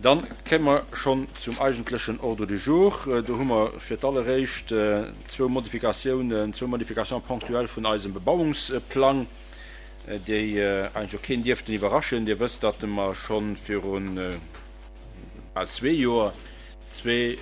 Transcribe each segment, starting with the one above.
Dann kéime mer schonn zum eigentlechen Ordre du jour. Do hu mer fir d'alleréischt zwou Modifikatiounen, zwou Modifications ponctuelles vun eisem Bebauungsplang, déi eigentlech och keen dierften iwwerraschen. Dir wësst, datt mer scho viru bal zwee Joer zwee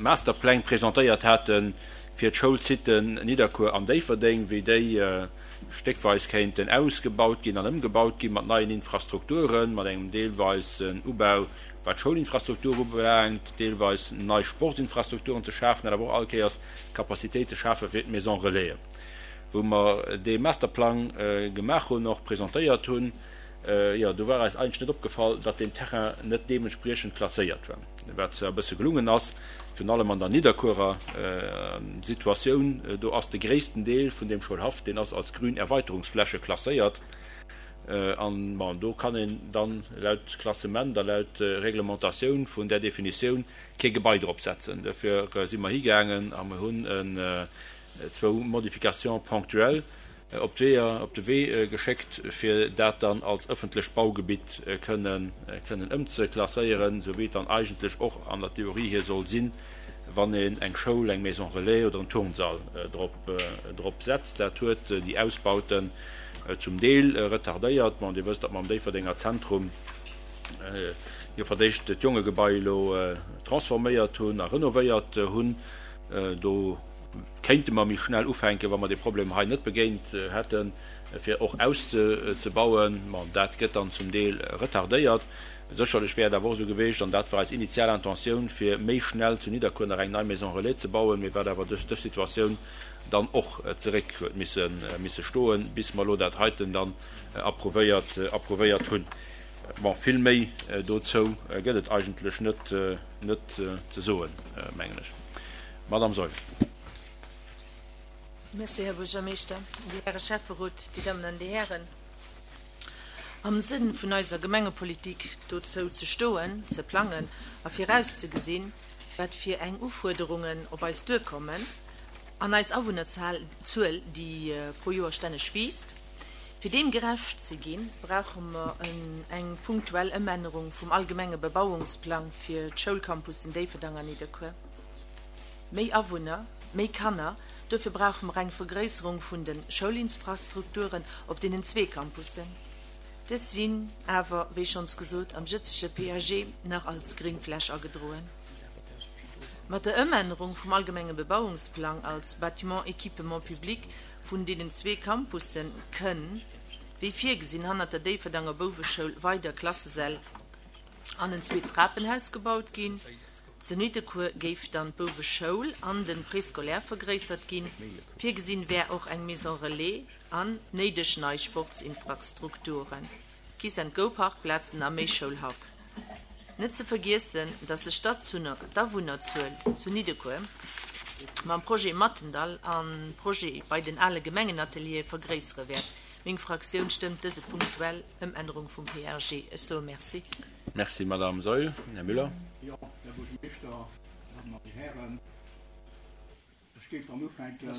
Masterpläng presentéiert hate fir d'Schoulsiten Nidderkuer an Déifferdeng, wéi déi stéckweis kéinten ausgebaut ginn an ëmgebaut gi mat neien Infrastrukturen, mat engem deelweisen Ubau wat d'Schoulinfrastruktur ubelaangt, deelweis nei Sportsinfrastrukturen ze schafen, dat awer och all Kéiers Capacitéit ze schafe fir d'Maison Relaisen. Wou mer dee Masterplang gemaach hunn, och presentéiert hunn, jo, do war eis eigentlech net opgefall, datt deen Terrain net deementspriechend klasséiert war, wat zwar e bësse gelungen ass, virun allem an der Nidderkuerer Situatioun. Do ass de gréissten Deel vun deem Schoulhaff, deen ass als grün Erweiterungsfläche klasséiert. An, bon, do kann een dann laut Klassement a laut Reglementatioun vun där Definitioun kee Gebai drop setzen. Dofir si mer higaangen a mer hunn zwou Modifications ponctuelles op d'Weeër, op de Wee geschéckt, fir dat dann als ëffentlecht Baugebitt kënnen, kënnen ëmzeklasséieren, esou wéi et dann eigentlech och an der Theorie hier soll sinn, wann een eng Schoul, eng Maison relais oder en Turnsall drop, drop setzt. Dat huet déi Ausbauten zum Deel retardéiert. Bon, Dir wësst, datt mer am Déifferdenger Zentrum jo fir d'éischt d'Jongegebai elo transforméiert hunn a renovéiert hunn. Do kéinte mer méi schnell ufänken, wa mer dee Problem hei net begéint hätten, fir och auszebauen. Bon, dat gëtt dann zum Deel retardéiert. Sécherlech wär et awer och esou geweecht, an dat war eis initial Intentioun, fir méi schnell zu Nidderkuer nach eng nei Maison relais ze bauen, mee wat awer duerch dës Situatioun dann och zeréck huet misse stoen, bis mer elo dat heiten dann approuvéiert, approuvéiert hunn. Bon, vill méi dozou gëtt et eigentlech net, net ze soen, mengen ech. Madame Saeul. Merci, Här Buergermeeschter, déi Häre Schäfferot, déi Dammen an déi Hären. Am Sënn vun eiser Gemengepolitik dozou ze stoen, ze plangen a virauszegesinn, wat fir eng Ufuerderungen op eis duerkommen an eis Awunnerzuel, déi pro Joer stänneg wiisst, Fir deem gerecht ze ginn, brauche mer eng punktuell Ëmännerung vum allgemenge Bebauungsplang fir d'Schoulcampussen Déifferdang an Nidderkuer. Méi Awunner, méi Kanner, dofir brauche mer eng Vergréisserung vun de Schoulinfrastrukturen op deenen zwee Campussen. Dës sinn awer, wéi schonns gesot, am jëtzege PAG nach als Gringfläch agedroen. Mat der Ëmännerung vum allgemenge Bebauungsplang als Bâtiment équipement public Vun deenen zwee Campusse kënn, wéi virgesinn, hannert der Déifferdanger Bouweschoul weider Klassesäll an en zweet Trapenhaus gebaut ginn. Zu Nidderkuer géif dann d'Bouweschoul an de Préscolaire vergréissert ginn. Virgesinn wär och eng Maison relais an néideg nei Sportsinfrastrukturen. Kiss and Go Parkplazen a méi Schoulhaff. Net ze vergiessen, dass sech d'Awunnerzuel zu Niddekuer mam Projet Mathendahl an Projet bei den ale Gemengenateliere vergréissere wäert. Meng Fraktioun stëmmt dëse punktuell Ëmännerung vum PRG. Ech soe Merci. Merci, Madame Saeul. Här Müller. Jo, Här Buergermeeschter, Dir Dammen an Dir Hären, Ech géif dann ufänken.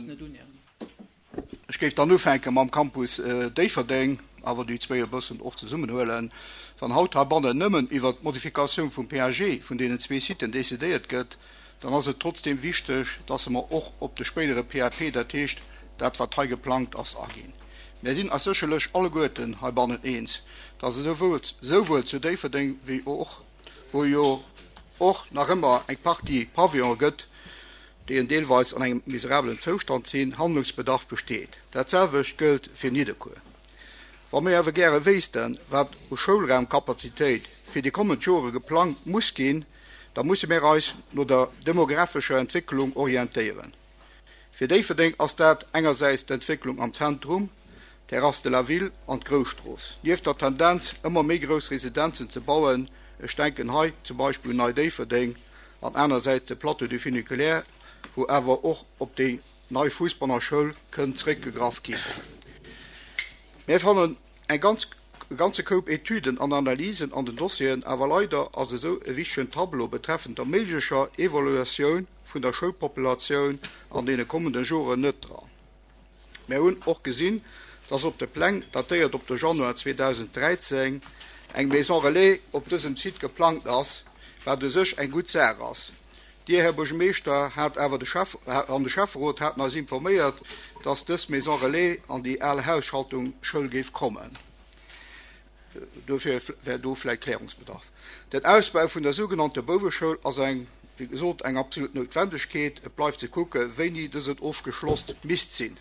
Ech géif dann ufänke mam Campus Déifferdeng, awer déi zwéi e bëssen och zesummenhuelen. Wann haut heibannen nëmmen iwwert d'Modifikatioun vum PAG vun deenen zwee Siten decidéiert gëtt, dann ass et trotzdeem wichteg, dass mer och op de spéidere PAP, dat heescht dat wat hei geplangt ass, aginn. Mär sinn eis sécherlech alleguerten heibannen eens, dass esouwuel zu Déifferdeng wéi och, wou jo och nach ëmmer eng Partie Pavillone gëtt, déi en deelweis an engem miserabelen Zoustand sinn, Handlungsbedarf besteet. Dat selwecht gëllt fir Nidderkuer. Wa mir awer gäre wéissten, wat u Schoulraumkapazitéit fir déi kommend Jore geplangt muss ginn, da musse mir eis no der demographescher Entwécklung orientéieren. Fir Déifferdeng ass dat engersäits d'Entwécklung am Zentrum, Terrasse de la Ville an d'Grousstrooss. Nieft der Tendenz, ëmmer méi grouss Residenzen ze bauen, ech denken hei zum Beispill un Nei Déifferdeng, an anersäits de Plateau du Funiculaire, wou awer och op déi nei Fussbannerschoul kënn zréckgegraff ginn. Mir fannen eng ganz, e ganze Koup Etüden an Analysen an den Dossieren, awer leider ass esou e wichtegen Tableau betreffend der méiglecher Evaluatioun vun der Schoulpopulatioun an deene kommende Joren net dran. Mär hunn och gesinn, dass op de Pläng, datéiert op de Januar 2013, eng Maison Relais op dësem Site geplangt ass, wat u sech eng gutt Saach ass. Dir, Här Buergermeeschter, hat awer de Schäff an de Schäfferot haten eis informéiert, dass dës Maison Relais an déi al Hausschaltung Schoul géif kommen. Dofir wär do vläicht Klärungsbedarf. Den Ausbau vun der sougenannte Bouweschoul ass eng, wéi gesot, eng absolut Noutwendegkeet. Et bleift ze kucke wéini dësen ofgeschloss misst sinn.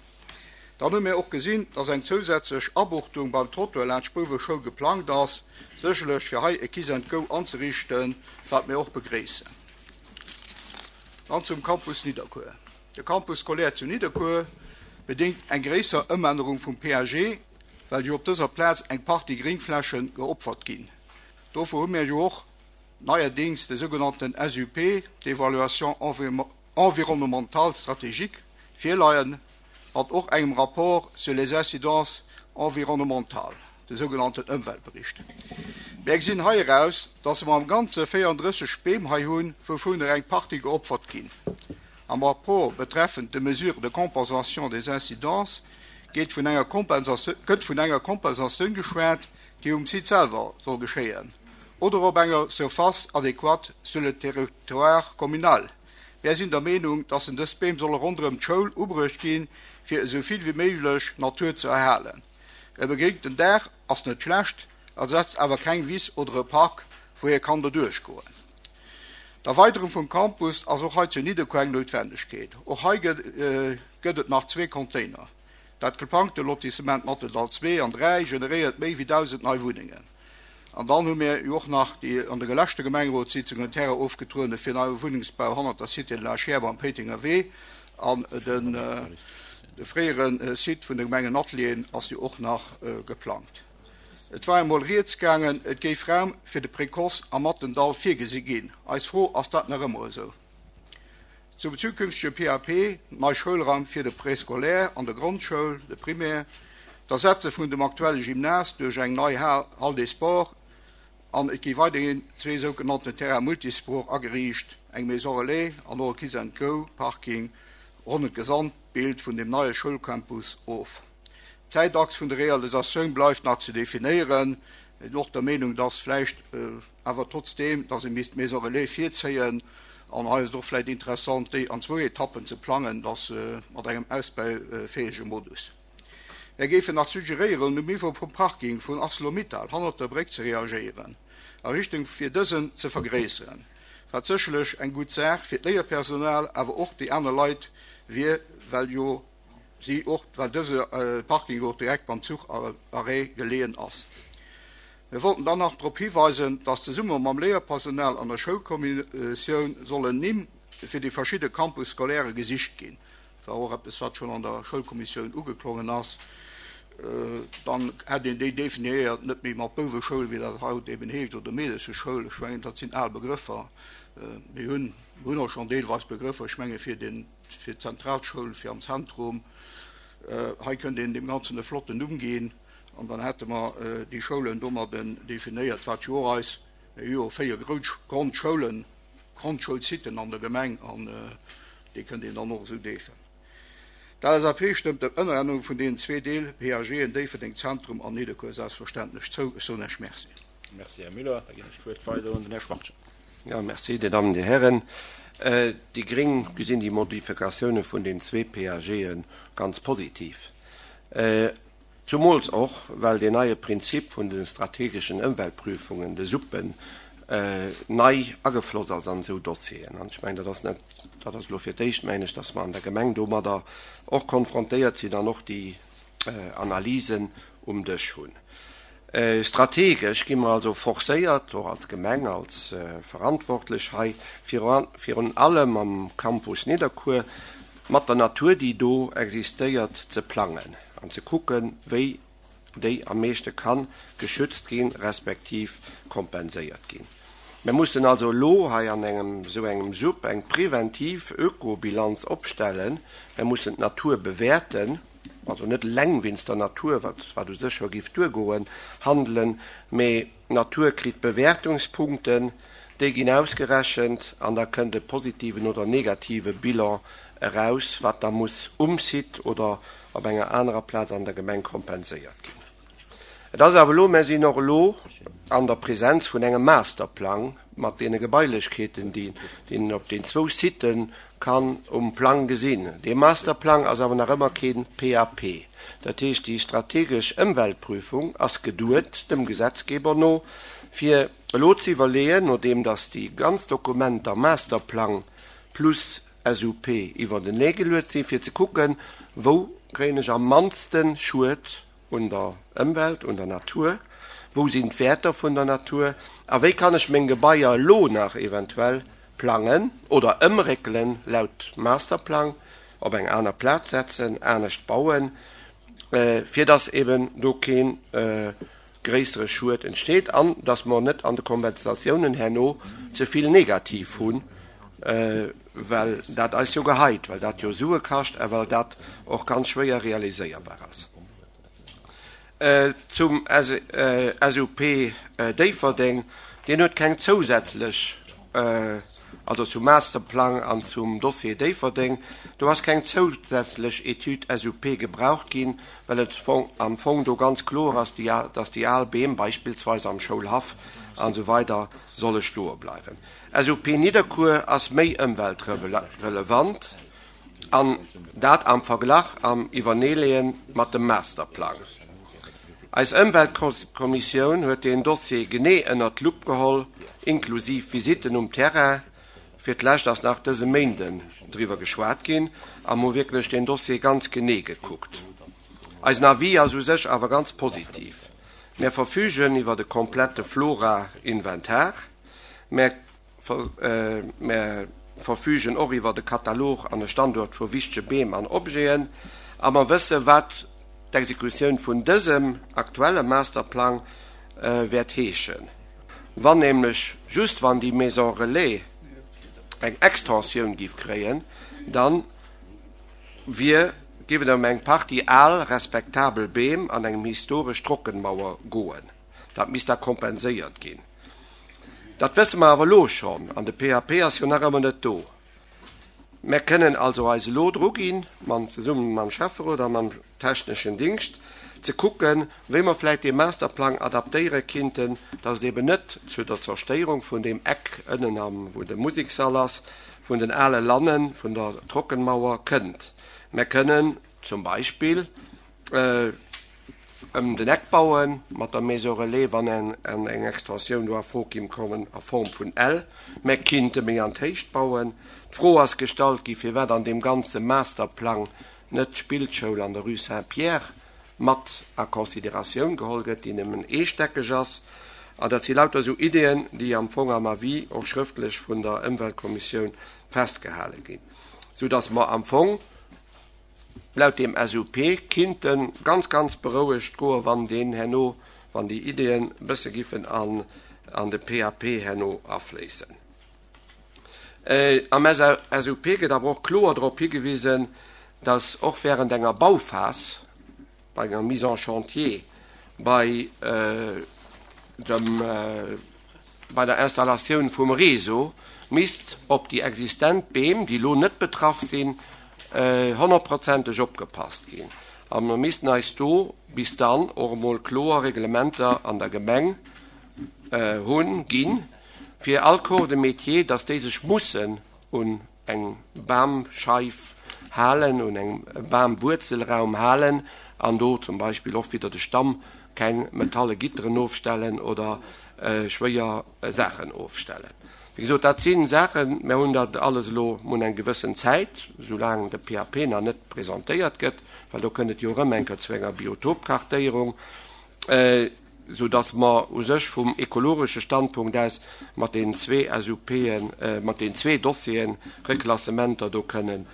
Dann hu mir och gesinn, dass eng zousätzlech Abuchtung beim Trottoir laanscht Bouweschoul geplangt ass, sécherlech fir hei e Kiss and Go anzeriichten, wat mir och begréissen. Dann zum Campus Nidderkuer. De Campus scolaire zu Nidderkuer bedéngt eng gréisser Ëmännerung vum PAG, well jo op dëser Plaz eng Partie Gréngfläche geopfert ginn. Dofir hu mir jo och neierdings de sougenannten SUP, d'Évaluation environnementale stratégique, virleien, mat och engem Rapport sur les incidences environnementales, de sougenannten Ëmweltbericht. Mär gesinn hei eraus, dass mer am Ganze 34 Beem hei hunn, wouvunner eng Partie geopfert ginn. Am Rapport betreffend de Mesures de compensation des incidences geet vun enger gëtt vun enger Kompensatioun geschwat, déi um Site selwer soll geschéien oder op enger Surface adéquate sur le territoire communal. Mär sinn der Meenung, dass en dës Beem solle ronderëm d'Schoul ubruecht ginn, fir esou vill wéi méiglech Natur ze erhalen. E begréngten Daach ass net schlecht, ersetzt awer keng Wiss oder e Park, wou ee kann doduerch goen. D'Erweiderung vum Campus ass och hei zu Nidderkuer eng Noutwendegkeet. Och hei gëtt et nach zwee Container. Dat geplangte Lotissement Matteldall 2 an 3 generéiert méi wéi 1.000 nei Wunnengen. An dann hu mir jo och nach déi an de leschte Gemengerotssitzungen Terrain ofgetruene fir neie Wunnengsbau hannert der Cité de la Chiers am Péitenger Wee. An de fréiere Site vun de Gemengenatelieren ass jo och nach geplangt. Et war emol rieds gaangen, et géif Raum fir de Précoce am Mattendall virgesi ginn. Eis Fro, Ass dat nach ëmmer esou? Zum zukünftege PAP, nei Schoulraim fir de Préscolaire an der Grondschoul, de Primaire, d'Ersetze vun dem aktuelle Gymnase duerch eng nei Hall des Sports an et gi weiderhin zwee sougenannten Terrains multisports ageriicht, eng Maison relais an och e Kiss and Go Parking ronnen d'Gesamtbild vun dem neie Schoulcampus of. D'Zäitachs vun der Realisatioun bleift nach ze definéieren. Mir sinn och der Meenung, dass vläicht awer trotzdeem, dass ee misst d'Maison relais virzéien. An hei ass et och vläicht interessant, déi an zwou Etappen ze plangen, dass mat engem ausbaufäege Modus. Mär géifen nach suggeréieren, um Niveau vum Parking vun Arcelor-Mittal hannert der Bréck ze reagéieren a Richtung fir dësen ze vergréisseren, wat sécherlech eng gutt Saach fir d'Léierpersonal, awer och déi aner Leit wier, well jo si och, well dëse Parking och direkt beim Zucharrêt geleeën ass. Mir wollten dann nach drop hiweisen, dass zesumme mam Léierpersonal an der Schoulkommissioun sollen Nimm fir déi verschidde Campus scolaire gesicht ginn. Dat war och eppes, wat schonn an der Schoulkommissioun ugeklongen ass. Dann hätt een déi definiéiert, net méi mat Bouweschoul, wéi dat haut eben heescht, oder Meedescheschoul. Ech mengen, dat sinn al Begrëffer. Mir hunn och schonn deelweis Begrëffer, ech menge fir den, fir d'Zentralschoul, fir am Zentrum. Hei kënnt een deem Ganzen e flotten Numm ginn an dann hätte mer déi Schoulen domadden definéiert, wat jo och eis, mir hu jo 4 Grondschoulen, Grondschoulsiten an der Gemeng an déi kënnt een dann och esou deefen. D'LSAP stëmmt der Ënnerännerung vun deenen zwee Deel-PAGen Déifferdeng Zentrum an Nidderkuer selbstverständlech zou. Ech soen Iech Merci. Merci, Här Müller. Da ginn ech d'Wuert weider un den Här Schwachtgen. Jo, merci, Dir Dammen, Dir Hären. Déi gréng gesinn déi Modifikatioune vun den zwee PAGe ganz positiv. Zumools och, well deen neie Prinzip vun de strategeschen Ëmweltprüfungen, de SUPen, nei agefloss ass an esou Dossieren. An ech mengen, dat ass net, dat ass elo fir d'éischt, mengen ech, dass mer an der Gemeng domadder och konfrontéiert sinn an och déi Analysen um Dësch hunn. Strategesch gi mer also forcéiert, och als Gemeng, als Verantwortlech hei, virun allem am Campus Nidderkuer, mat der Natur, déi do existéiert, ze plangen an ze kucken, wéi déi am meeschte ka geschützt ginn, respektiv kompenséiert ginn. Mir mussen also elo hei an engem esou engem SUP eng preventiv Ökobilanz opstellen. Mir mussen d'Natur bewäerten, also net eleng wéinst der Natur, wat wat u sech scho géif duergoen, handelen, mee d'Natur kritt Bewäertungspunkten, déi ginn ausgerechent an da kënnt e positiven oder negative Bilan eraus, wat da muss um Site oder op enger anerer Plaz an der Gemeng kompenséiert ginn. Et ass awer elo, mär sinn och elo. an der Presenz vun engem Masterplang mat deene Gebailechkeeten, déi een op den zwou Sitë kann um Plang gesinn. Dee Masterplang ass awer nach ëmmer kee PAP. Dat heescht, déi strategesch Ëmweltprüfung ass geduet, dem Gesetzgeber no, fir elo ze iwwerleeën, nodeem datt déi ganz Dokumenter, Masterplang plus SUP, iwwertenee geluet sinn, fir ze kucken, wou kréien ech am mannste Schued un der Ëmwelt, un der Natur, wou sinn d'Wäerter vun der Natur a wéi kann ech meng Gebaier elo nach eventuell plangen oder ëmréckelen laut Masterplang, op eng aner Plaz setzen, anescht bauen, fir dass eben do kee gréissere Schued entsteet an dass mer net an de Kompensatiounen herno ze vill negativ hunn, well dat eis jo geheit, well dat jo Sue kascht a well dat och ganz schwéier realiséierbar ass. Zum SUP Déifferdeng, deen huet keng zousätzlech, also zum Masterplang an zum Dossier Déifferdeng, do ass keng zousätzlech Etüd SUP gebraucht ginn, well et am Fong do ganz kloer ass, dass déi al Beem beispillsweis am Schoulhaff an esou weider solle stoe bleiwen. SUP Nidderkuer ass méi ëmweltrelevant, an dat am Verglach am Iwwerneeleeë mat dem Masterplang. Eis Ëmweltkommissioun huet deen Dossier genee ënnert d'Lupp geholl, inklusiv Visitten um Terrain. Fir d'lescht ass nach dëse Méinden driwwer geschwat ginn a mer hu wierklech deen Dossier ganz genee gekuckt. Eisen Avis ass u sech awer ganz positiv. Mär verfügen iwwert e komplette Flora-Inventar. Mär Mär verfügen och iwwert e Katalog an e Standuert vu wichtege Beem an Objeten a mer wësse wat d'Exekutioun vun dësem aktuelle Masterplang wäert heeschen. Wann nämlech just wann déi Maison Relais eng Extensioun giff kréien, da wier giff et ëm eng Partie al respektabel Beem an engem historesch Trockenmauer goen. Dat misst da kompenséiert ginn. Dat wësse mer awer elo schonn, an de PAP ass jo nach ëmmer net do. Mär kënnen also eis elo druginn, mam, zesumme mam Schäfferot a mam techneschen Dingscht, ze kucken, wéi mer vläicht dee Masterplang adaptéiere kinnten, dass et eben net zu der Zerstéierung vun deem Eck ënnen am, wou de Musekssall ass, vun den ale Lannen, vun der Trockenmauer kënnt. Mär kënnen zum Beispill, Ëm den Eck bauen, mat der Maison Relais, wann eng Extensioun do a Fro kéim kommen a Form vun L, mä kinnte méi an d'Héicht bauen. D'Fro ass gestallt gi firwat an deem ganze Masterplang net d'Spillschoul an der Rue Saint-Pierre mat a Consideratioun geholl gëtt, déi nëmmen eestäckeg ass. An dat si lauter esou Ideeën, déi am Fong am Avis och schrëftlech vun der Ëmweltkommissioun festgehale ginn, soudass mer am Fong, Laut deem SUP kinnt en ganz, ganz berouegt goen, wann deen herno, wann déi Ideeën e bësse giffen an an de PAP herno afléissen. Am SUP gëtt awer och kloer drop higewisen, dass och während enger Bauphas, bei enger Mise en chantier, bei dem, bei der Installatioun vum Réseau misst op déi existent Beem, déi elo net betraff sinn, honnertprozenteg opgepasst ginn. A mer missten eis do bis dann och emol kloer Reglementer an der Gemeng hunn, ginn, fir all Corps de métier, dass déi sech mussen un eng Bamscheif halen, un engem Bamwuerzelraum halen an do zum Beispill och widder de Stamm keng metalle Gitteren ofstellen oder schwéier Saachen ofstellen. Wéi gesot, dat si Saachen, mir hunn dat alles elo, mir hunn eng gewëssen Zäit, soulaang de PAP nach net presentéiert gëtt, well do kënnt et jo erëm eng Kéier zu enger Biotopkartéierung, sou dass mer u sech vum ekologesche Standpunkt aus mat deenen zwee SUPen, mat deenen zwee Dossieren, Reklassementer do kënnen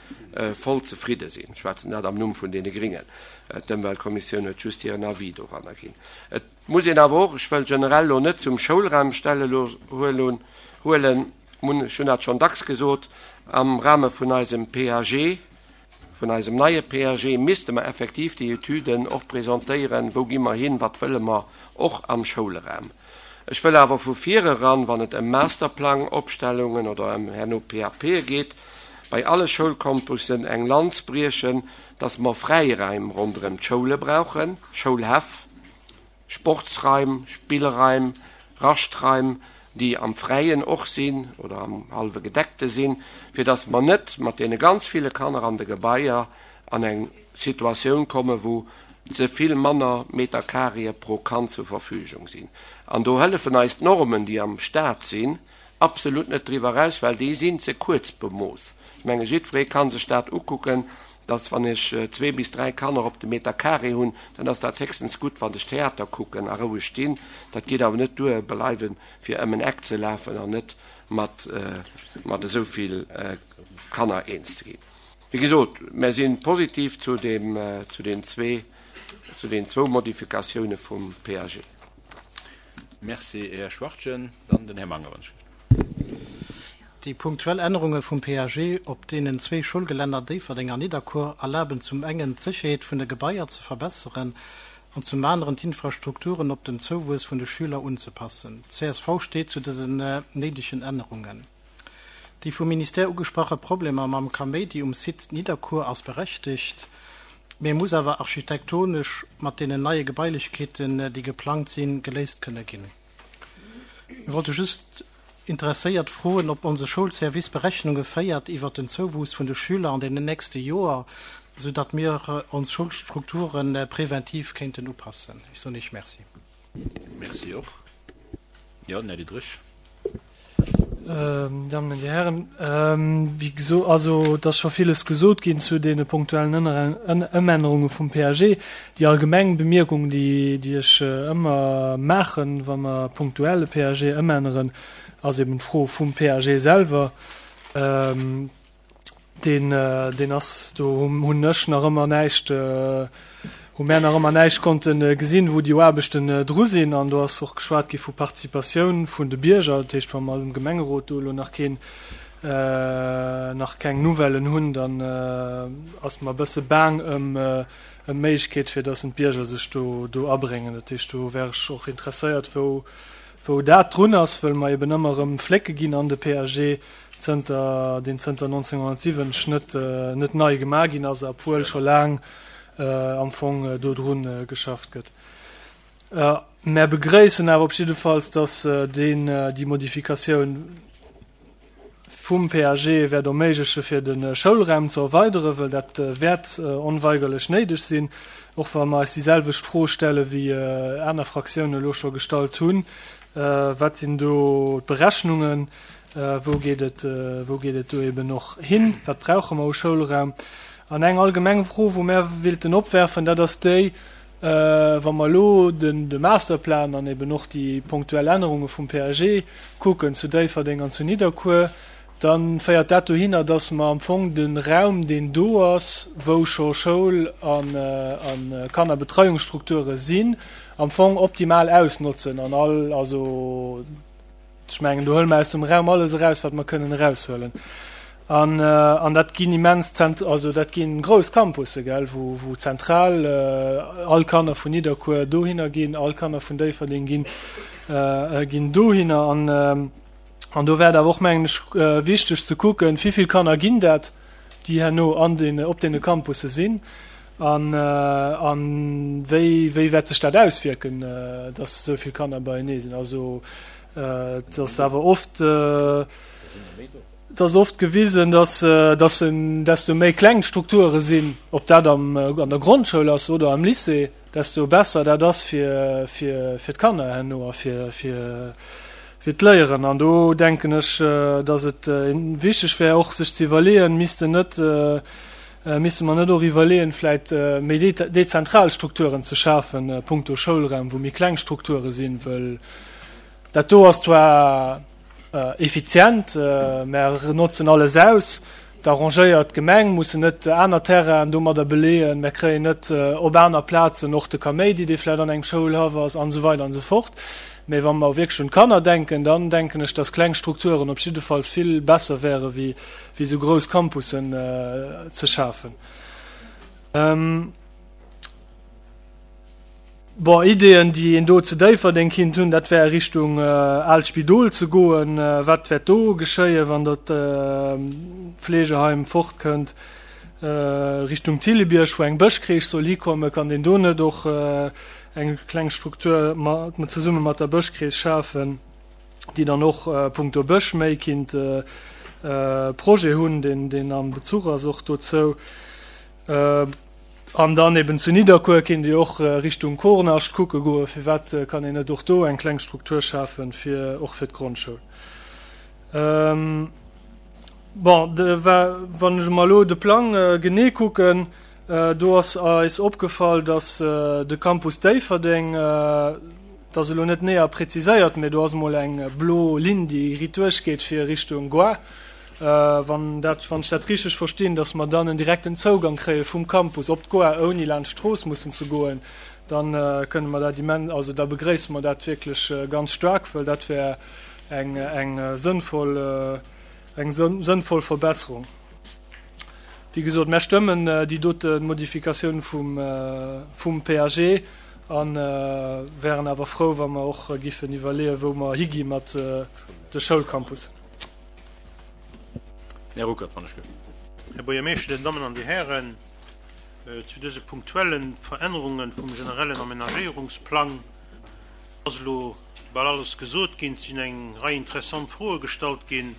voll zefridde sinn. Ech schwätzen dat am Numm vun deene Gringen. D'Ëmweltkommissioun huet just hiren Avis doranner ginn. Et muss een awer och, ech wëll generell elo net zum Schoulraum Stelle huelen, ech hunn dat schonn dacks gesot, am Rahme vun eisem PAG, Vun eisem neie PAG misste mer effektiv déi Etüden och presentéieren, wou gi mer hin, wat wëlle mer och am Schoulraum. Ech wëll awer vu vireran, wann et ëm Masterplangopstellungen oder ëm herno PAPe geet, bei alle Schoulcampussen eng Lanz briechen, dass mer Fräiraim ronderëm d'Schoule brauchen, Schoulhäff, Sportsraim, Spillraim. Raschtraim, déi am Fräien och sinn oder am hallwe Gedeckte sinn, fir dass mer net mat deene ganz ville Kanner an de Gebaier an eng Situatioun kommen, wou ze vill manner Meterkareë pro Kand zur Verfügung sinn. An do hëllefen eis d'Normen, déi am Stat sinn, absolut net driwwer eraus, well déi sinn ze kuerz bemooss. Ech menge jiddweree ka sech dat ukucken, dass wann ech zwee bis dräi Kanner op de Meter carré hunn, dann ass dat héchstens gutt, wann ech Theater kucken a roueg stinn. Dat geet awer net duer, bleiwen, fir ëm en Eck ze lafen an net mat mat esou vill Kanner eens ze ginn. Wéi gesot, mär si positiv zu deem, zu den zwee, zu den zwou Modifikatioune vum PAG. Merci, Här Schwachtgen. Dann den Här Mangerensch. Déi punktuell Ännerunge vum PAG op deenen zwéi Schoulgelänner Déifferdeng an Nidderkuer erlaben zum engen d'Sécherheet vun de Gebaier ze verbesseren an zum aneren d'Infrastrukturen op den Zouwuess vun de Schüler unzepassen. Csv steet zu dësen néidegen Ännerungen. Déi vum Ministère ugesprache Problemer mam Kaméidi um Site Nidderkuer ass berechtegt, mee muss awer architektonesch mat deenen neie Gebailechkeeten, déi geplangt sinn, geléist kënne ginn. Mir wollte just interesséiert froen, ob onse Schoulservice Berechnunge féiert iwwert den Zouwuuss vun de Schüler an deenen nächste Joer, sou datt mir ons Schoulstrukture präventiv kéinten upassen. Ech soen Iech Merci. Merci och. Jo, den Här Diderich. Dir Dammen an Dir Hären, wéi gesot, also et ass scho villes gesot ginn zu deene punktuellen Ëmännerunge vum PAG. Déi allgemeng Bemierkung, déi déi ech ëmmer maachen, wa mer punktuell e PAG ëmänneren, ass eben d'Fro vum PAG selwer. Deen, deen ass, do hunn ech nach ëmmer näischt, hu mär nach ëmmer näischt konnte gesinn, wou déi Aarbechten dru sinn. An do ass och geschwat gi vu Participatioun vun de Bierger. Dat heescht, wa mer am Gemengerot do elo nach keen, nach keng Nouvellen hunn, dann ass mer e bësse baang ëm ëm d'Méiglechkeet, fir datt d'Bierger sech do do abréngen. Dat heescht, do wär ech och interesséiert, wou wou dat drun ass, wëll mer eben ëmmer erëm Flécke ginn an de PAG, zënter deen zënter 1970 net net nei gemaach ginn ass, obwuel scho laang am Fong dodrun geschafft gëtt. Mär begréissen awer op jiddefalls, datt deen déi Modifikatioun vum PAG wäert erméigleche fir de Schoulraum ze erweideren, wëll dat wäert onweigerlech néideg sinn, och wa mer eis déi selwecht Fro stelle wéi aner Fraktiounen elo scho gestallt hunn, Wat sinn do d'Berechnungen? Wou geet et, wou geet et do eben och hin? Wat brauche mer u Schoulraum? An eng allgemeng Fro, wou mär willten opwerfen, dat ass déi, wa mer elo den, de Masterplan an eben och déi punktuell Ännerunge vum PAG kucken zu Déifferdeng an zu Nidderkuer, da féiert dat dohinner, dass mer am Fong de Raum, deen do ass, wou scho Schoul an, a Kannerbetreiungsstrukture sinn, am Fong optimal ausnotzen an all, also, Ech mengen, do huele mer aus dem Raum alles eraus, wat mer kënnen eraushuelen. An, an dat ginn immens zent-, also dat gi grouss Campusse, gell, wou, wou zentral all Kanner vun Nidderkuer dohinner ginn, all Kanner vun Déifferdeng ginn, ginn dohinner. An, an do wär et awer och, mengen ech, wichteg ze kucken, wivill Kanner ginn dat, déi herno an den, op deene Campusse sinn. An, an wéi, wéi wäert sech dat auswierken, dass esou vill Kanner beienee sinn? Also et ass awer oft, et ass oft gewisen, dass, dass en, desto méi kleng d'Strukture sinn, ob dat am, an der Grondschoul ass oder am Lycée, desto besser dat ass fir, fir, fir d'Kanner herno a fir, fir, fir d'Léieren. An do denken ech, dass et wichteg wär och sech ze iwwerleeën, missten net, Misste mer net och iwwerleeën, vläit méi dezentral Strukturen ze schafen, punkto Schoulraum, wou méi kleng Strukture sinn? Wëll dat do ass zwar effizient, mer notzen alles aus, et arrangéiert d'Gemeng, mussen net aner Terrainen domadder beleeën, mer kréien net op aner Plazen och de Kaméidi, dee vläit an engem Schoulhaff ass, an esou weider an esou fort. Mä wa mer wierklech un d'Kanner denken, dann denken ech, dass kleng Strukturen op jiddefalls vill besser wäre wéi wéi esou grouss Campussen ze schafen. Bon, Ideeën, déi een do zu Déifferdeng kinnt hunn, dat wär Richtung aalt Spidol ze goen. Wat wäert do geschéien, wann dat Fleegeheim fortkënnt? Richtung Thillebierg, wou eng Bëschcrèche soll hikommen, kann deen do net och. eng kleng Struktur zesumme mat der Bëschkrees schafen, déi dann och punkto Bësch méi kinnt Projet hunn, deen am Bezuch ass och dozou. An dann eben zu Nidderkuer kinnt Dir och Richtung Kornascht kucke goen, firwat kann een net och do eng kleng Struktur schafen, fir och fir d'Grondschoul. Bon, wann ech mer elo de Plang genee kucken, do ass eis opgefall, datt de Campus Déifferdeng, dat ass elo net näher präziséiert, mä do ass emol eng blo Linn, déi riit duerchgeet fir Richtung Goar. Wann dat, wann ech dat richteg verstinn, datt mer dann en direkten Zougang kréie vum Campus op d'Goar, ouni laanscht d'Strooss mussen ze goen, da kënne mer dat immens, also da begréisse mer dat wierklech ganz staark, well dat wär eng, eng sënnvoll, eng sënnvoll Verbesserung. Wéi gesot, mär stëmmen déi dote Modifikatioun vum, vum PAG a wären awer frou, wa mer och giffen iwwerleeën, wou mer higi mat de Schoulcampussen. Här Ruckert, wann ech gëff. Här Buergermeeschter, Dir Dammen an Dir Hären, zu dëse punktuelle Verännerunge vum generellen Amenagéierungsplang ass elo bal alles gesot ginn. Et sinn eng Rei interessant Froe gestallt ginn,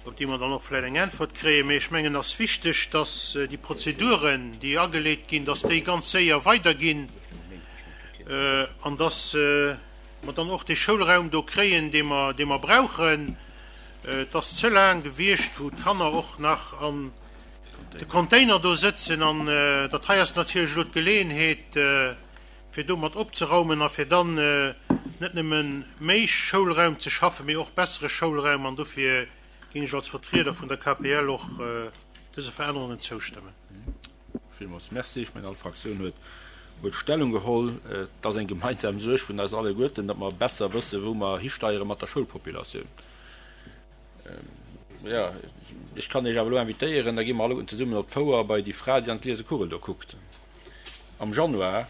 op déi mer dann och vläicht eng Äntwert kréien. Mee ech mengen, et ass wichteg, dass déi Prozeduren, déi ageleet ginn, dass déi ganz séier weiderginn an dass mer dann och dee Schoulraum do kréien, dee mer, dee mer brauchen. Et ass ze laang gewiescht, wou d'Kanner och nach an de Container do sëtzen. An dat hei ass natierlech elo d'Geleeënheet, fir domat opzeraumen a fir dann net nëmme méi Schoulraum ze schaffen, mee och bessere Schoulraum. An dofir géing ech als Vertrieder vun der KPL och dëse Verännerungen zoustëmmen. Villmools Merci. Ech mengen, all Fraktioun huet huet Stellung geholl. Et ass eng gemeinsam Suerg vun eis alleguerten, datt mer besser wëssen, wou mer histeiere mat der Schoulpopulatioun. Jo, ech kann Iech awer elo invitéieren, da gi mer alleguerten zesummen op d'Fouer bei déi Fra, déi an d'gliese Kugel do kuckt. Am Januar,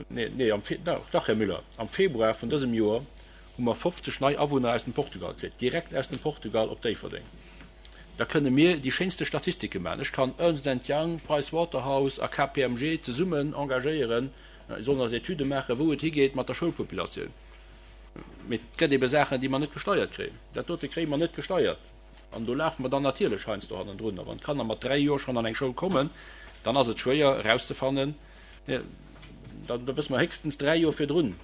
nee, nee, am Fe, dach, Här Müller, am Februar vun dësem Joer hu mer 50 nei Awunner aus dem Portugal kritt, direkt aus dem Portugal op Déifferdeng. Da kënne mir déi schéinste Statistike maachen. Ech kann Ernst and Young, Price Waterhouse a KPMG zesummen engagéieren, si sollen eis Etüde maachen, wou et higeet mat der Schoulpopulatioun. Mee et gëtt ebe Saachen, déi mer net gesteiert kréien. Dat dote kréie mer net gesteiert. An do lafe mer dann natierlech heiansdo hannendrun. A wann d'Kanner mat 3 Joer schonn an eng Schoul kommen, dann ass et schwéier erauszefannen, da wësse mer héchstens 3 Joer virdrun,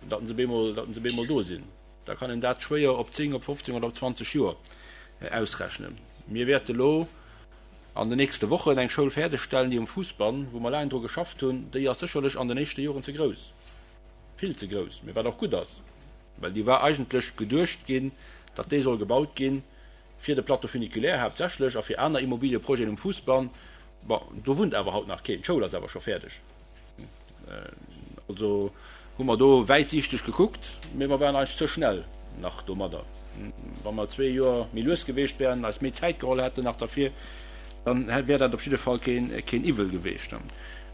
datt se bemol do sinn. Da kann een dat schwéier op 10, op 15 oder op 20 Joer ausrechnen. Mir wäerte lo an den nächste Wochen eng Schoul fäerdegstellen, déi um Fuussbann, wou mer laang dru geschafft hunn, déi ass sécherlech an den éischte Joren ze grouss, vill ze grouss, mee wat och gutt ass, well déi war eigentlech geduecht ginn, datt déi soll gebaut ginn fir de Plateau funiculaire haaptsächlech a fir aner Immobilieprojeten um Fuussbann. Bon, do wunnt awer haut nach keen, d'Schoul ass awer scho fäerdeg. Also hu mer do wäitsiichteg gekuckt, mee mer waren eigentlech ze schnell nach domadder. Wa mer zwee Joer méi lues geweecht wären, eis méi Zäit geholl hätten nach derfir, dann wär dat op jidde Fall keen Iwwel geweecht.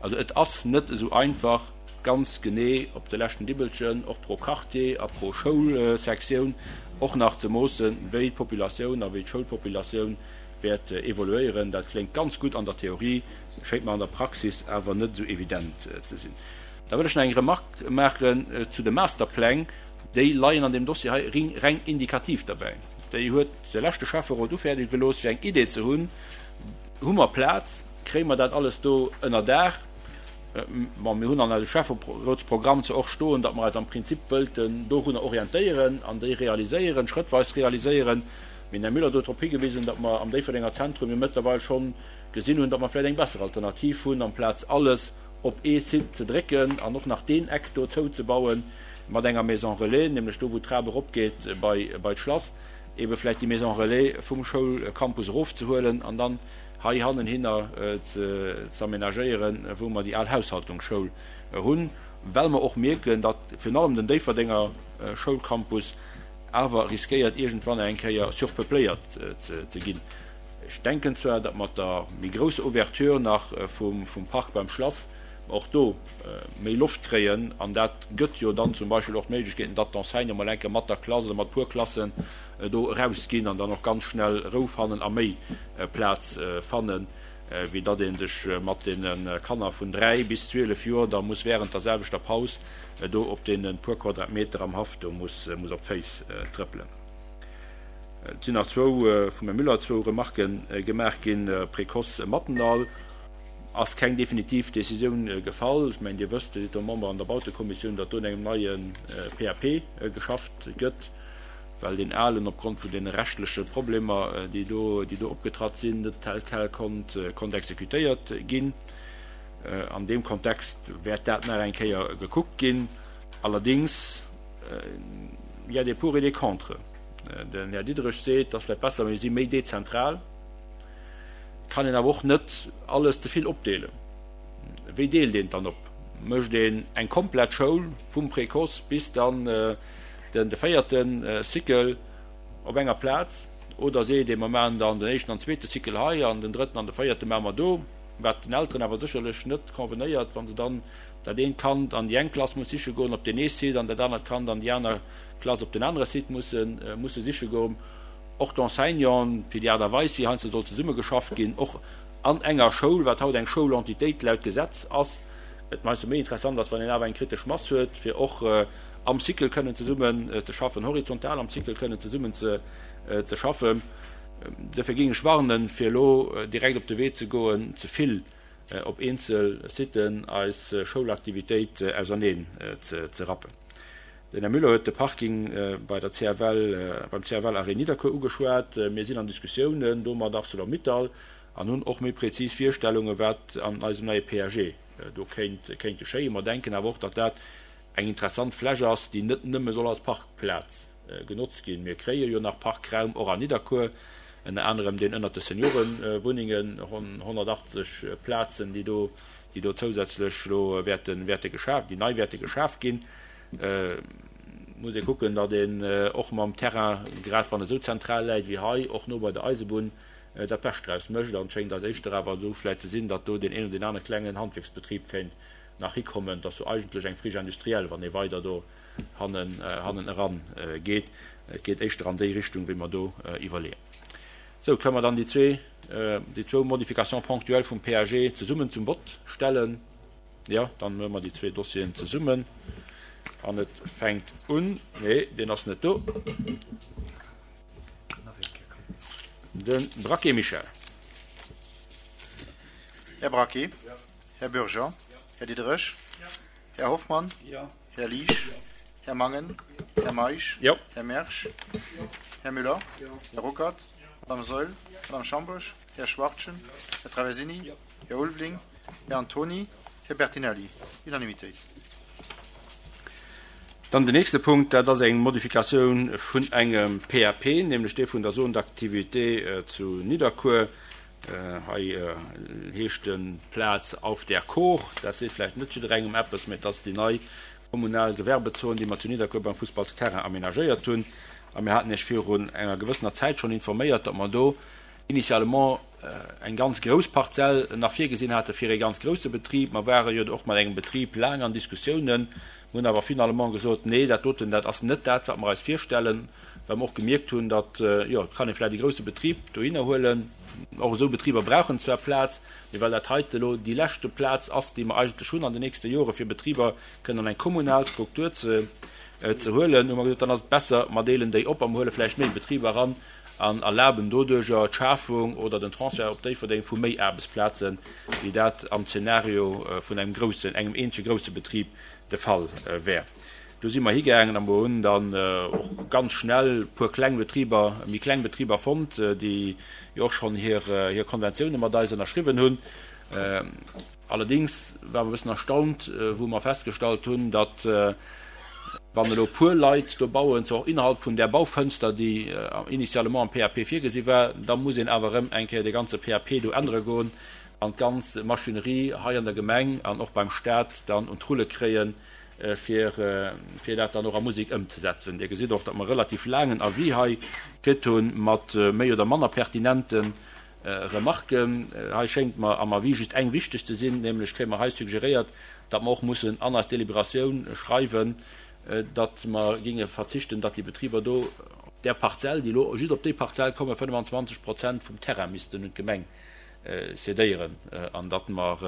Also et ass net esou einfach, ganz genee op de leschten Dibbelchen, och pro Quartier a pro Schoulsektioun och nach ze moossen, wéi d'Populatioun a wéi d'Schoulpopulatioun wäert evoluéieren. Dat kléngt ganz gutt an der Theorie, schéngt mer an der Praxis awer net esou evident ze sinn. Da wëll ech nach eng Remarque maachen zu de Masterpläng. Déi leien an deem Dossier hei reng indikativ derbäi. Déi huet de leschte Schäfferot ufäerdege gelooss, fir eng Idee ze hunn, Hu mer Plaz? Kréie mer dat alles do ënner Daach? Bon, mir hunn an eisem Schäfferotsprogramm zwar och stoen, datt mer eis am Prinzip wëllten dorunner orientéieren an déi realiséieren, schrëttweis realiséieren. Mee den Här Müller huet drop higewisen, datt mer am Déifferdenger Zentrum jo mëttlerweil schonn gesinn hunn, datt mer vläicht eng besser Alternativ hunn, amplaz alles op ee Site ze drécken an och nach deen Eck do zouzebauen mat enger Maison relais, nämlech do wou d'Trap eropgeet bei bei d'Schlass, ebe vläicht déi Maison relais vum Schoulcampus erofzehuelen an dann hei hannenhinner ze z'aménagéieren, wou mer déi al Haushaltungsschoul hunn, well mer och mierken, datt virun allem den Déifferdenger Schoulcampus awer riskéiert iergendwann eng Kéier surpeupléiert ze ginn. Ech denken zwar, datt mat der méi grousser Ouverture nach vum Park beim Schlass mer och do méi Loft kréien, an dat gëtt jo dann zum Beispill och d'Méiglechkeeten, datt d'Enseignante mol eng Kéier mat der Klass oder mat puer Klassen do erausginn an dann och ganz schnell Rou fannen a méi Plaz fannen. wéi datt ee sech mat deene Kanner vun 3 bis 12 Joer da muss während der selwechter Paus do op deene puer Quadratmeter am Haff do muss op d'Féiss trëppelen. Et sinn nach zwou, vum Här Müller zwou Remarquë gemaach ginn. Précoce Mathendahl ass keng definitiv Décisioun gefall. Ech mengen, Dir wësst, Dir sidd do Member an der Bautekommissioun, datt do un engem neie PAP geschafft gëtt, well deen alen opgrond vun deene rechtleche Problemer, déi do, déi do opgetratt sinn, net tel quel konnt, konnt exekutéiert ginn. An deem Kontext wäert dat nach eng Kéier gekuckt ginn. Allerdings, il y a des pour et des contre. Den Här Diderich seet, et ass vläicht besser, mir si méi dezentral. Kann een awer och net alles ze vill opdeelen. Wéi deelt een et dann op? Mécht een eng komplett Schoul vum Précoce bis dann den de véierte Cycle op enger Plaz oder seet ee mer maachen dann den éischten an zweete Cycle hei an den drëtten an de véierte maache mer do, wat den Elteren awer sécherlech net convenéiert, wa se dann dat eent Kand an déi eng Klass muss siche goen op deen ee Site an dat anert Kand an déi aner Klass op den anere Site musse siche goen. Och d'Enseignanten, fir déi Aart a Weis, wéi heiansdo soll zesummegeschafft ginn, och an enger Schoul, wat haut eng Schoulentitéit laut Gesetz ass, et heiansdo méi interessant ass, wann een awer eng kritesch Mass huet, fir och am Cycle kënnen zesummen ze schaffen, horizontal am Cycle kënnen zesummen ze schaffen. Dofir géing ech warnen, fir elo direkt op de Wee ze goen, ze vill op eenzel Siten eis Schoulaktivitéit auserneen ze rappen. Den Här Müller huet de Parking bei der CFL, beim CFL-Arrêt Nidderkuer ugeschwat. Mir sinn an Diskussiounen do mat Arcelor-Mittal an hunn och méi prezis Virstellungen, wat an eisem neie PAG do kéint kéint geschéien. Mer denken awer och, datt dat eng interessant Fläch ass, déi net nëmme soll als Parkplaz genotzt ginn. Mir kréie jo nach Parkraum och an Nidderkuer, ënner anerem deen ënnert de Seniorewunnengen, ronn 180 Plazen, déi do, déi do zousätzlech elo wäerte, wäerte geschaf, déi nei wäerte geschaf ginn. Muss ee kucken, datt een och mam Terrain, grad wann e sou zentral läit wéi hei, och no bei der Eisebunn, dat Bescht draus mécht. An et schéngt eis éischter awer do vläicht ze sinn, datt do deen een oder deen anere klengen Handwierksbetrib kéint nach hikommen. Et ass jo eigentlech eng Friche industrielle, wann ee weider do hannen, hannen eran geet. Et geet éischter an déi Richtung, wéi mer do iwwerleeën. Sou, kënnen mer dann déi zwee, déi zwou Modifications ponctuelles vum PAG zesummen zum Vott stellen? Jo, dann huele mer déi zwee Dossieren zesummen an et fänkt un, nee, deen ass net do, de Braquet Michel. Här Braquet? Här Bürger? Här Diderich? Här Hoffmann? Här Liesch? Här Mangen? Här Meisch? Här Mersch? Här Müller? Här Ruckert? Madame Saeul? Madame Schambourg? Här Schwachtgen? Här Traversini? Här Ulveling, Här Antony, Här Bertinelli. Unanimitéit. Dann den nächste Punkt, dat ass eng Modifikatioun vun engem PAP, nämlech dee vun der Zone d'activité zu Nidderkuer. Hei heescht de Plaz Auf der Kor. Dat seet vläicht net jidderengem eppes, mä et ass déi nei kommunal Gewerbezon, déi mer zu Nidderkuer beim Fussballsterrain aménagéiert hunn. A mir haten Iech virun enger gewëssener Zäit schonn informéiert, datt mer do initialement eng ganz grouss Parzell nach virgesinn hate fir ee ganz grousse Betrib. Mer ware jo och mat engem Betrib laang an Diskussiounen, mer hunn awer finalement gesot, nee, dat doten, dat ass net dat, wat mer eis virstellen, well mer och gemierkt hunn, datt, jo, et kann ee vläicht e grousse Betrib dohinner huelen, och esou Betriber brauchen zwar Plaz, mee well dat heite elo déi leschte Plaz ass, déi mer eigentlech hunn an den nächste Jore fir Betriber kënnen an eng kommunal Struktur ze huelen, hu mer gesot, dann ass et besser, mer deelen déi op a mer huele vläicht méi Betriber eran, an erlaben doduerjer d'Schafung oder den Transfert op Déifferdeng vu méi Aarbechtsplazen, wéi dat am Zeenario vun engem groussen, engem eenzege grousse Betrib de Fall wär. Do si mer higaangen a mer hunn dann och ganz schnell e puer kleng Betriber, méi kleng Betriber fonnt, déi jo och schonn hir Konventioune mat eis ënnerschriwwen hunn. Allerdéngs ware mer e bëssen erstaunt, wou mer festgestallt hunn, datt, wann elo e puer Leit do bauen, zwar och innerhalb vun där Baufënster, déi initialement am PAP virgesi war, da muss een awer erëm eng Kéier dee ganze PAP do ännere goen an d'ganz Maschinerie hei an der Gemeng an och beim Stat dann un d'Rulle kréien, fir dat dann och a Musek ëmzesetzen. Dir gesitt och, datt mer e relativ laangen Avis hei kritt hunn, mat méi oder manner pertinenten Remarken. Hei schéngt mer am Avis just eng wichteg ze sinn, nämlech kréie mer hei suggeréiert, datt mer och mussen an eis Deliberatioun schreiwen, datt mer géinge verzichten, datt déi Betriber do op där Parzell, déi elo just op déi Parzell kommen, 25 Prozent vum Terrain missten un d'Gemeng. Cédéieren an datt mer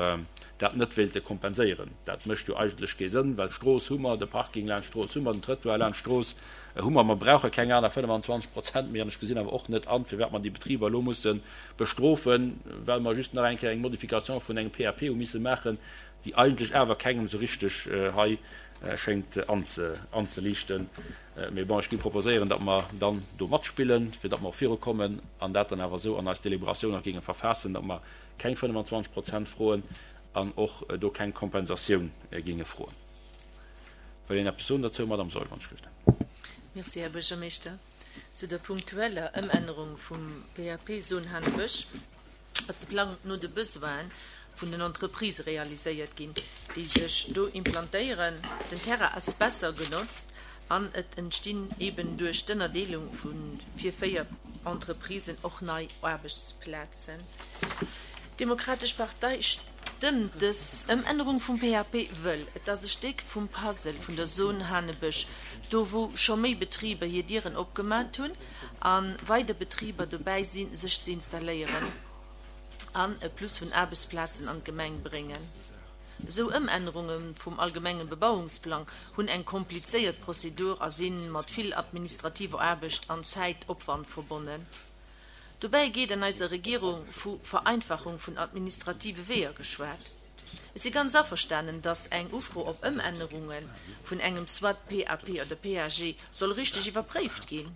dat net wéilte kompenséieren. Dat mécht jo eigentlech kee Sënn, well d'Strooss hu mer, de Parking laanscht d'Strooss hu mer, den Trëttoir laanscht d'Strooss hu mer. Mer brauche keng aner 25 Prozent méi an ech gesinn awer och net an, firwat mer déi Betriber elo musse bestrofen, well mer just nach eng Kéier eng Modification vun engem PAP hu misse maachen, déi eigentlech awer kengem esou richteg hei schéngt anzeliichten. Mee bon, ech géing proposéieren, datt mer dann do matspillen, fir datt mer och virukommen an dat dann awer esou an eis Deliberatioun nach géinge verfaassen, datt mer keng 25 Prozent froen an och do keng Kompensatioun géinge froen. Wëll een eppes soen dozou? Madamm Saeul, wann ech gelift. Merci, Här Buergermeeschter. Zu der punktueller Ëmännerung vum PAP Soen-Hanebësch. ass de Plang no de Besoine vun den Entreprisë realiséiert ginn, déi sech do implantéieren. Den Terrain ass besser genotzt an et entstinn eben duerch d'Ënnerdeelung vu fir 4 Entreprisen och nei Aarbechtsplazen. D'Demokratesch Partei stëmmt dës Ëmännerung vum PAP, wëll et ass e Stéck vum Puzzle vun der Zone Hanebësch, do wou scho méi Betriber hir Dieren opgemat hunn a weider Betriber dobäi sinn, sech ze installéieren an e Plus vun Aarbechtsplazen an d'Gemeng bréngen. Esou Ëmännerunge vum allgemenge Bebauungsplang hunn eng komplizéiert Prozedur a si mat vill administrativer Aarbecht an Zäitopwand verbonnen. Dobäi gétt an eiser Regierung vu Vereinfachung vun administrative Weeër geschwat. Ech si ganz averstanen, dass eng Ufro op Ëmännerunge vun engem soit PAP oder PAG soll richteg iwwerpréift ginn.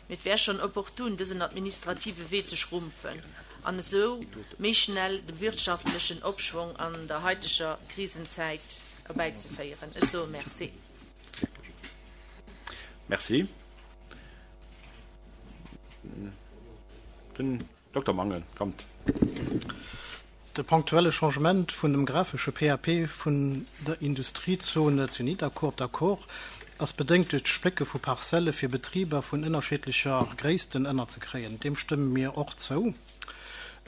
Mee et wär schonn opportun, dësen administrative Wee ze schrumpfen an esou méi schnell de wirtschaftlechen Opschwong an der haiteger Krisenzäit erbäizeféieren. Ech soe Merci. Merci. Den Dokter Mangen, kommt. De ponktuelle Changement vun dem grafesche PAP vun der Industriezone zu Nidderkuer op der Kor ass bedéngt duerch d'Splécke vu Parzelle fir Betriber vun ënnerschiddlecher Gréissten ënnerzekréien. Deem stëmme mir och zou.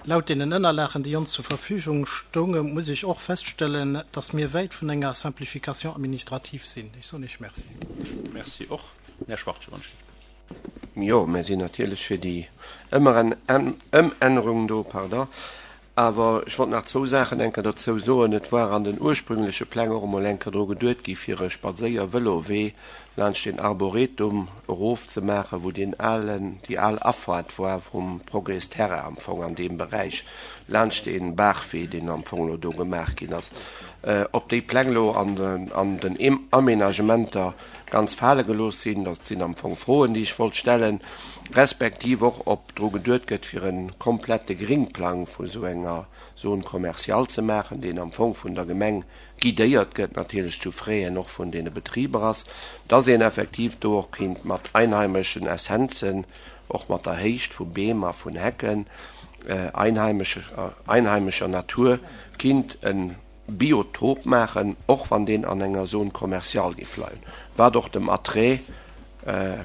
Laut deenen Ënnerlagen, déi ons zur Verfügung stounge, muss ech och feststellen, dass mir wäit vun enger Simplification administrative sinn. Ech soen Iech Merci. Merci och. Här Schwachtgen, wann ech lift. Jo, mir sinn natierlech fir déi Ëmännerung do, pardon. Awer ech wollt nach zwou Saachen eng Kéier dozou soen. Et war an den ursprüngleche Pläng och emol eng Kéier dru geduet gi fir e Spadséier-Vëlowee laanscht den Arboretum erof ze maachen, wou deen alen, déi al Afaart war vum Progrès Terra am Fong an deem Beräich, laanscht dee Baachwee, deen am Fong elo do gemaach ginn ass. Ob déi Pläng elo an den Aménagementer ganz fale gelooss sinn. Dat sinn am Fong Froen, déi ech wollt stellen, respektiv och, ob dru geduet gëtt, fir e komplette Gringplang vu sou enger Zone commerciale ze maachen, deen am Fong vun der Gemeng guidéiert gëtt, natierlech zu Fräen och vun deene Betriber ass, dass een effektiv do och kéint mat einheimeschen Essenzen, och mat der Héicht vu Beem a vun Hecken, einheimescher Natur, kinnt e Biotop maachen, och wann deen an enger Zone commerciale géif leien, wat och dem Attrait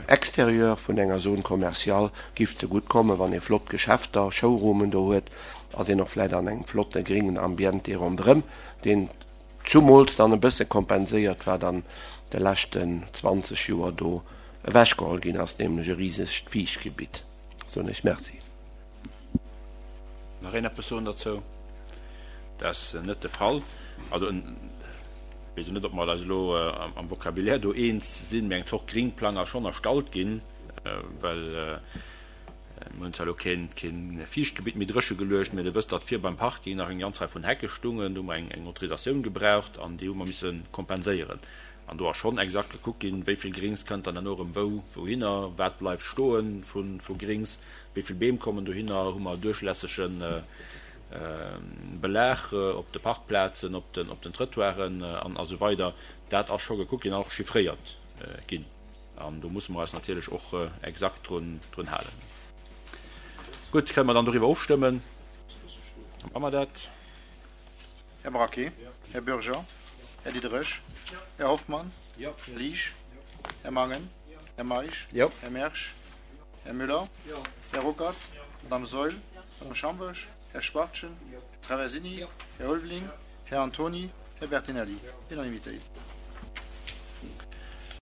extérieur vun enger Zone commerciale giff zegutt kommen, wann ee flott Geschäfter, Showroomen do huet, ass een och vläit an engem flotte gringen Ambiente ronderëm, deen zumools dann e bësse kompenséiert, wat an de leschten 20 Joer do ewechgeholl ginn ass, nämlech e risegt Fiichtgebitt. Soen ech Merci. Nach een eppes soen derzou? Dat ass net de Fall. Also, ech weess elo net, ob mer eis elo am Vocabulaire do eens sinn, mee eng Zort Gringplang ass schonn erstallt ginn, well mir hunn zwar elo keen Fiichtgebitt méi dréche geluecht, mee Dir wësst, datt vir beim Parking nach eng ganz Rei vun Hecke stungen. Do hu mer eng Autorisatioun gebraucht an déi hu mer misse kompenséieren. An do ass schonn exakt gekuckt ginn, wéi vill Grings kënnt dann herno erëm wou wouhinner, wat bleift stoe vu Grings, wéi vill Beem kommen dohinner, hu mer duerchlässege Belag op de Parkplazen, op den Trëttoiren an esou weider. Dat ass scho gekuckt ginn an och chiffréiert ginn. An do musse mer eis natierlech och exakt drun halen. Gutt, kënne mer dann doriwwer ofstëmmen? Da maache mer dat. Här Braquet, Här Bürger, Här Diderich, Här Hoffmann, Här Liesch, Här Mangen, Här Meisch, Här Mersch, Här Müller, Här Ruckert, Madame Saeul, Madame Schambourg, Här Schwachtgen, Här Traversini, Här Ulveling, Här Antony, Här Bertinelli. Unanimitéit.